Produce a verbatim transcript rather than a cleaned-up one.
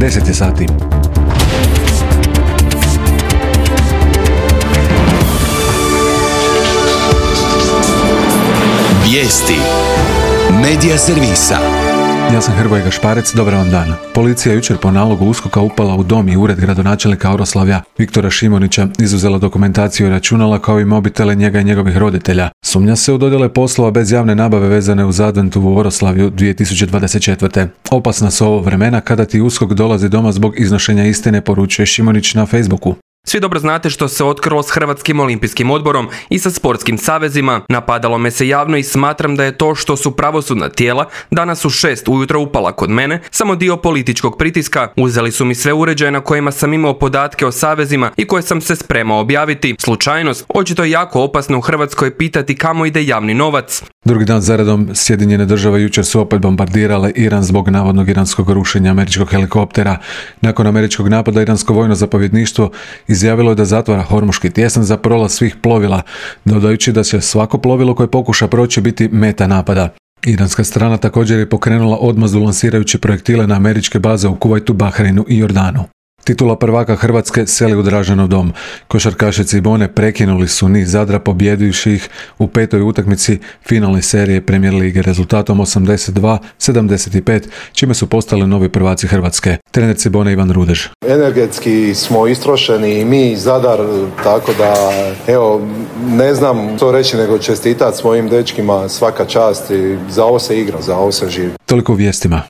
deset je sati. Vijesti Medija servisa. Ja sam Hrvoje Gašparec, dobar vam dan. Policija je jučer po nalogu USKOK-a upala u dom i ured gradonačelnika Oroslavlja Viktora Šimonića, izuzela dokumentaciju i računala kao i mobitele njega i njegovih roditelja. Sumnja se u dodjele poslova bez javne nabave vezane uz adventu u Oroslavju dvije tisuće dvadeset četvrte. Opasna su ovo vremena kada ti USKOK dolazi doma zbog iznošenja istine, poručuje Šimonić na Facebooku. Svi dobro znate što se otkrilo s Hrvatskim olimpijskim odborom i sa sportskim savezima. Napadalo me se javno i smatram da je to što su pravosudna tijela danas u šest ujutro upala kod mene samo dio političkog pritiska. Uzeli su mi sve uređaje na kojima sam imao podatke o savezima i koje sam se spremao objaviti. Slučajnost, očito je jako opasno u Hrvatskoj pitati kamo ide javni novac. Drugi dan zaredom Sjedinjene države jučer su opet bombardirale Iran zbog navodnog iranskog rušenja američkog helikoptera. Nakon američkog napada iransko vojno zapovjedništvo izjavilo je da zatvara Hormuški tjesan za prolaz svih plovila, dodajući da će svako plovilo koje pokuša proći biti meta napada. Iranska strana također je pokrenula odmazdu lansirajući projektile na američke baze u Kuvajtu, Bahreinu i Jordanu. Titula prvaka Hrvatske seli u Draženov dom. Košarkaši Cibone prekinuli su niz Zadra pobjedivši ih u petoj utakmici finalne serije Premier lige rezultatom osamdeset dva sedamdeset pet, čime su postali novi prvaci Hrvatske. Trener Cibone Ivan Rudež. Energetski smo istrošeni i mi Zadar, tako da evo, ne znam to reći nego čestitati svojim dečkima, svaka čast i za ovo se igra, za ovo se živi. Toliko u vijestima.